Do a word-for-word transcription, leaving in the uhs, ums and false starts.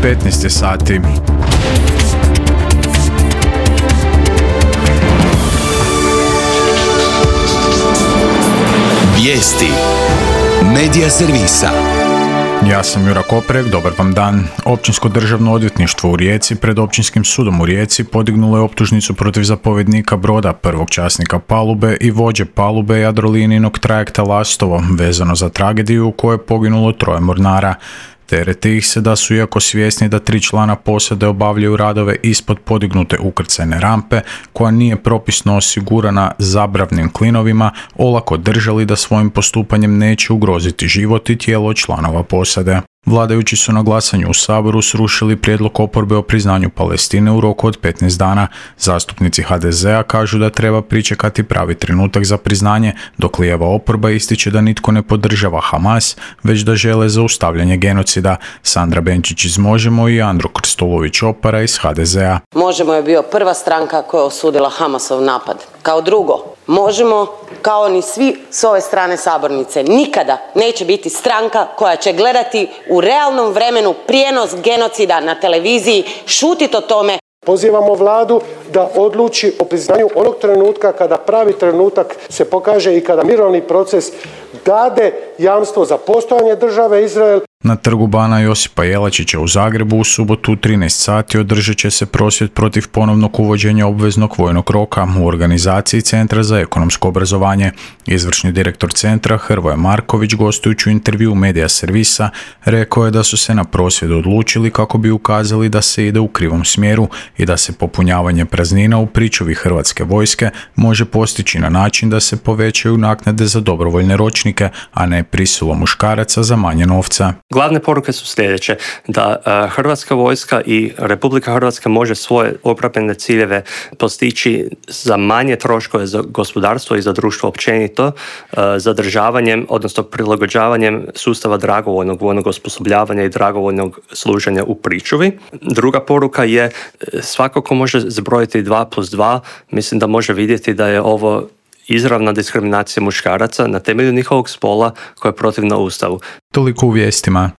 petnaest je sati. Vijesti Medija servisa. Ja sam Jura Koprek, dobar vam dan. Općinsko državno odvjetništvo u Rijeci pred Općinskim sudom u Rijeci podignulo je optužnicu protiv zapovjednika broda, prvog časnika palube i vođe palube Jadrolinijinog trajekta Lastovo, vezano za tragediju u kojoj je poginulo troje mornara. Tereti ih se da su, iako svjesni da tri člana posade obavljaju radove ispod podignute ukrcajne rampe, koja nije propisno osigurana zabravnim klinovima, olako držali da svojim postupanjem neće ugroziti život i tijelo članova posade. Vladajući su na glasanju u Saboru srušili prijedlog oporbe o priznanju Palestine u roku od petnaest dana. Zastupnici ha de zea kažu da treba pričekati pravi trenutak za priznanje, dok lijeva oporba ističe da nitko ne podržava Hamas, već da žele zaustavljanje genocida. Sandra Benčić iz Možemo i Andro Krstulović-Opara iz ha de zea. Možemo je bio prva stranka koja je osudila Hamasov napad. Kao drugo, Možemo, kao ni svi s ove strane sabornice, nikada neće biti stranka koja će gledati u realnom vremenu prijenos genocida na televiziji, šutiti o tome. Pozivamo vladu da odluči o priznanju onog trenutka kada pravi trenutak se pokaže i kada mirovni proces dade jamstvo za postojanje države Izrael. Na trgu bana Josipa Jelačića u Zagrebu u subotu u trinaest sati održat će se prosvjed protiv ponovnog uvođenja obveznog vojnog roka u organizaciji Centra za ekonomsko obrazovanje. Izvršni direktor centra Hrvoje Marković, gostujući u intervju Medija servisa, rekao je da su se na prosvjedu odlučili kako bi ukazali da se ide u krivom smjeru i da se popunjavanje praznina u pričuvi Hrvatske vojske može postići na način da se povećaju naknade za dobrovoljne ročnike, a ne prisilom muškaraca za manje novca. Glavne poruke su sljedeće, da uh, Hrvatska vojska i Republika Hrvatska može svoje obrambene ciljeve postići za manje troškove za gospodarstvo i za društvo općenito, uh, zadržavanjem, odnosno prilagođavanjem sustava dragovoljnog vojnog osposobljavanja i dragovoljnog služenja u pričuvi. Druga poruka je, svako ko može zbrojiti dva plus dva, mislim da može vidjeti da je ovo izravna diskriminacija muškaraca na temelju njihovog spola koja je protivna Ustavu. Toliko u vijestima.